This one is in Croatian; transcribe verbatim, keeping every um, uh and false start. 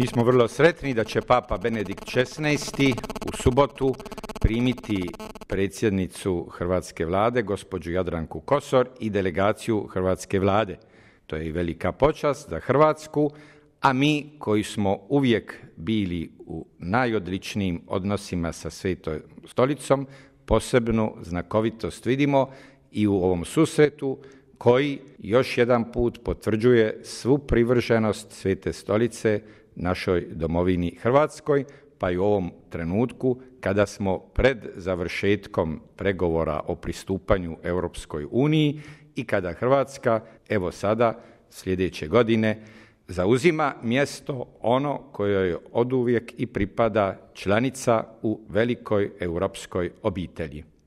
Mi smo vrlo sretni da će Papa Benedikt šesnaesti u subotu primiti predsjednicu Hrvatske vlade, gospođu Jadranku Kosor, i delegaciju Hrvatske vlade. To je i velika počast za Hrvatsku, a mi koji smo uvijek bili u najodličnijim odnosima sa Svetom stolicom, posebnu znakovitost vidimo i u ovom susretu koji još jedan put potvrđuje svu privrženost Svete stolice našoj domovini Hrvatskoj, pa i u ovom trenutku kada smo pred završetkom pregovora o pristupanju Europskoj uniji i kada Hrvatska, evo sada, sljedeće godine, zauzima mjesto ono koje oduvijek i pripada, članica u velikoj europskoj obitelji.